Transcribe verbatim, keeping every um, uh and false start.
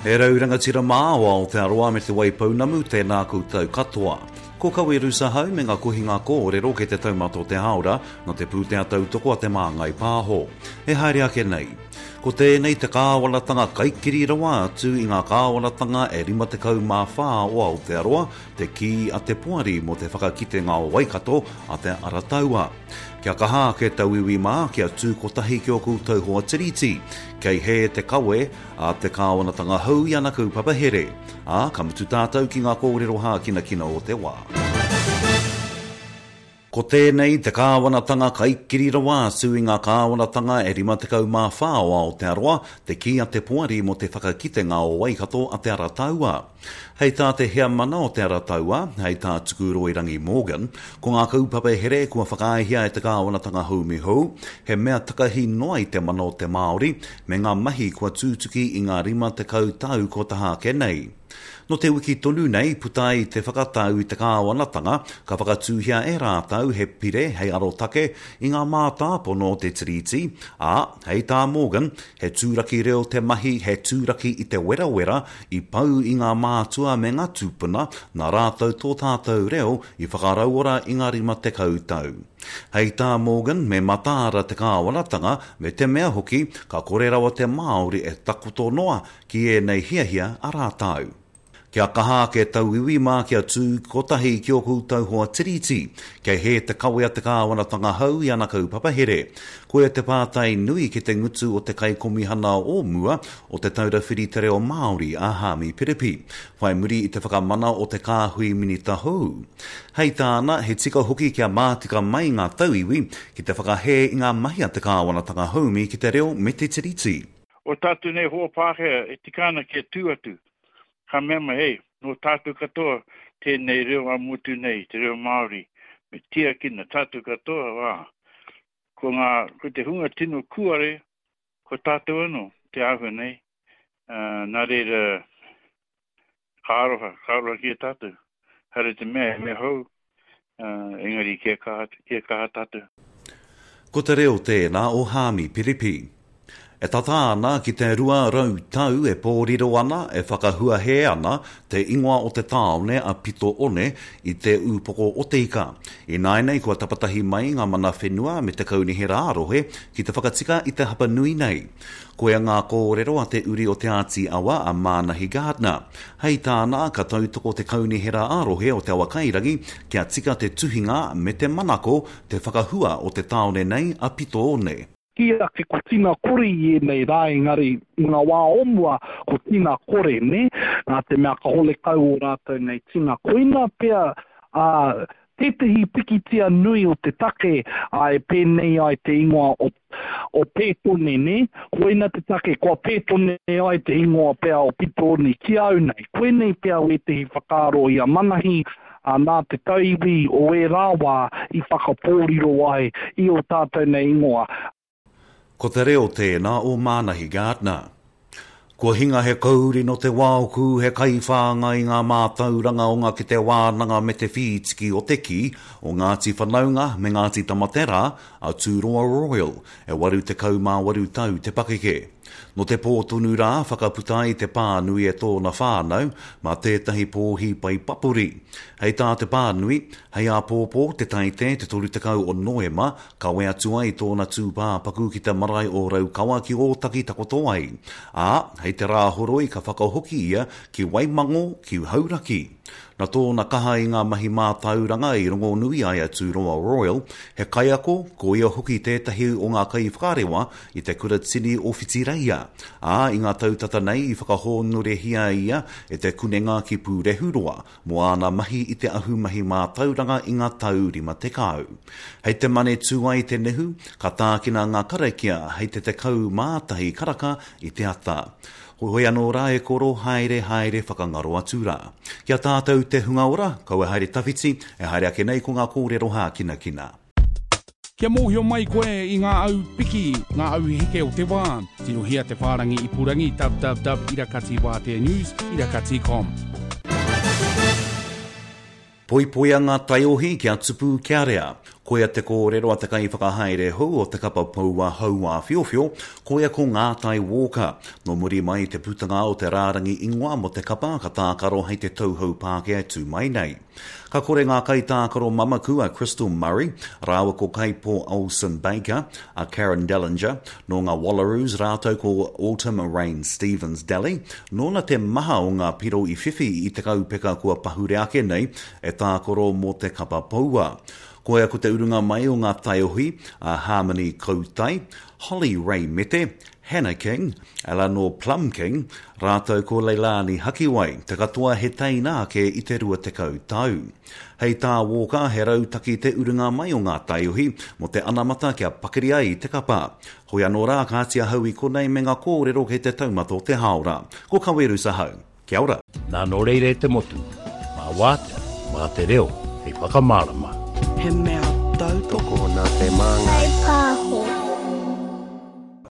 He rau rangatira mā o Aotearoa me Te Waipounamu, tēnā koutou katoa. Ko Kawe Rusahau me ngā kohinga kōrero kei te taumata o te hāora nā te pūtea tautoko a Te Māngai Pāho. E haere ake nei. Ko tēnei te kāwanatanga kaikiri rawa atu i ngā kāwanatanga e rima tekau mā whā o Aotearoa, te kī a te poari mō te whakakitenga o Waikato a Te Arataua. Kia kaha ake tauiwi mā, kia tū kotahi ki ō koutou hoa tiriti. Kei hē te kawe a te kāwanatanga hou i ana kaupapa here. Ā, ka mutu tātou ki ngā kōrero hākinakina o te wā. Ko tēnei te kāwanatanga kaikiri rawa atu i ngā kāwanatanga e rima tekau mā whā o Aotearoa, te kī a te poari mō te whakakitenga o Waikato a Te Arataua. Hei tā te heamana o Te Arataua, hei tā Tukuroirangi Morgan, ko ngā kaupapa here kua whakaaehia e te kāwanatanga haumi hou, he mea takahi noa i te mana o te Māori, me ngā mahi kua tūtuki i ngā rima tekau tau kua taha ake nei. Nō te wiki tonu nei, puta ai te whakatau i te kāwanatanga, ka whakatūhia e rātou he pire hei arotake i ngā mātāpono o te Tiriti, ā, hei tā Morgan, he tūraki reo te mahi, he tūraki i te werawera i pau i ngā mātua me ngā tūpuna, nā rātou tō tātou reo i whakarauora i ngā rima tekau tau. Hei tā Morgan, me mataara te kāwanatanga, me te mea hoki, ka kore rawa te Māori e takoto noa ki ēnei hiahia a rātou. Kia kaha ake tauiwi mā kia tū kotahi ki ō koutou hoa tiriti, kei hē te kawe a te kāwanatanga hou i ana kaupapa here. Koia te pātai nui ki te ngutu o te kaikomihana o mua o Te Taura Whiri Te Reo Māori a Haami Piripi, whai muri i te whakamana o te kāhui minita hou. Hei tāna, he tika hoki kia mātika mai ngā tauiwi ki te whakahē i ngā mahi a te kāwanatanga haumi ki te reo me te tiriti. O tātou nei hoa Pākehā e tika ana kia tū atu. Ka mea mai, hei, nō tātou katoa tēnei reo ā-motu nei, te reo Māori, me tiakina tātou katoa, ā, ko ngā, ko te hunga tino kūare, ko tātou anō te āhua nei, ā, nā reira, ka aroha, ka aroha ki a tātou. Haere te mea, he mea hou, ā, engari kia kaha, kia kaha tātou. Ko te reo tēnā o Haami Piripi. E tata ana ki te rua rau tau e pōriro ana, e whakahuahē ana te ingoa o te tāone a Pito One i te ūpoko o te ika. Ināianei kua tapatahi mai ngā mana whenua me te kaunihera ā-rohe ki te whakatika i te hapa nui nei. Koia ngā kōrero a te uri o Te Āti Awa a Mānahi Gardner. Hei tāna, ka tautoko te kaunihera ā-rohe o Te Awakairangi kia tika te tuhinga me te manako te whakahua o te tāone nei a Pito One. Kī ake ko tina kore i ēnei rā, engari i ngā wā o mua ko tina kore, nē? Nā te mea ka hole kau ō rātou nei tina. Koina pea, ā, tētehi pikitia nui o te take, ā, e pēnei ai te ingoa o, o Pētone, nē? Koina te take kua Pētone ai te ingoa pea o Pitoone ki au nei. Koinei pea wētehi whakaaro i a Manahi, ā, nā te tauiwi o ērā wā i whakapōriro ai i ō tātou nei ingoa. Ko te reo tēnā o Mānahi Gardner. Kua hinga he kauri nō te waoku, he kaiwhāngai i ngā mātauranga o ngā kete wānanga me te whītiki o te kī, o Ngāti Whanaunga me Ngāti Tamaterā, a Tūroa Royal, e waru tekau mā waru tau te pakeke. Nō te pō tonu rā, whakaputa ai te pānui e tōna whānau, mā tētahi pōhi pai papori. Hei tā te pānui, hei āpōpō te Taite te toru tekau o Noema, kawe atu ai tōna tūpāpaku ki te marae o Raukawa ki Ōtaki takoto ai. Ā, hei te Rāhoroi ka whakahoki ia ki Waimango, ki Hauraki. Nā tōna kaha i ngā mahi mātauranga i rongonui ai a Tūroa Royal, he kaiako, ko ia hoki tētahi o ngā kaiwhakarewa i te Kura Tini o Whitireia, ā, i ngā tau tata nei i whakahōnorehia ia e te Kunenga ki Pūrehuroa mō āna mahi i te ahumahi mātauranga i ngā tau rima tekau. Hei te mane tū ai te nehu, ka tākina ngā karakia hei te tekau mā tahi karaka i te ata. Hoi anō rā e koro, haere, haere, whakangaro atu rā. Ki a tātou te hunga ora, kaua haere tawhiti, e haere ake nei ko ngā kōrero hākinakina. Kia mōhio mai koe i ngā au piki, ngā au heke o te wā, tirohia te whārangi ipurangi www irakati wātea news irakati com. Poipoia ngā taiohi kia tupu kia rea. Koia te kōrero a te kaiwhakahaere hou o te kapa poua Hauāwhiowhio, koia ko Ngātai Walker. Nō muri mai i te putanga o te rārangi ingoa mō te kapa ka tākaro hei te tau hou Pākehā e tū mai nei. Ka kore ngā kaitākaro mamaku a Crystal Murray rāua ko Kaipo Olsen-Baker, a Karen Dellinger, nō ngā Wallaroos rātou ko Autumn Rain Stevens-Daly, nōna te maha o ngā piro i whiwhi i te kaupeka kua pahure ake nei e tākaro mō te kapa poua. Koia ko te urunga mai o ngā taiohi a Harmony Kautai, Holly Ray Mete, Hannah King, Eleanor Plum King, rātou ko Leilani Hakiwai, te katoa he teina ake i te rua tekau tau. Hei tā Walker, he rautaki te urunga mai o ngā taiohi mō te anamata kia pakari ai te kapa. Hoi anō rā, kāti ahau i konei me ngā kōrero kei te taumata o te hāora. Ko Kaweru Sahau. Kia ora. Nā nō reira e te motu, mā wātea, mā te reo, hei whakamārama. He mea tautoko. Tokona te māngai.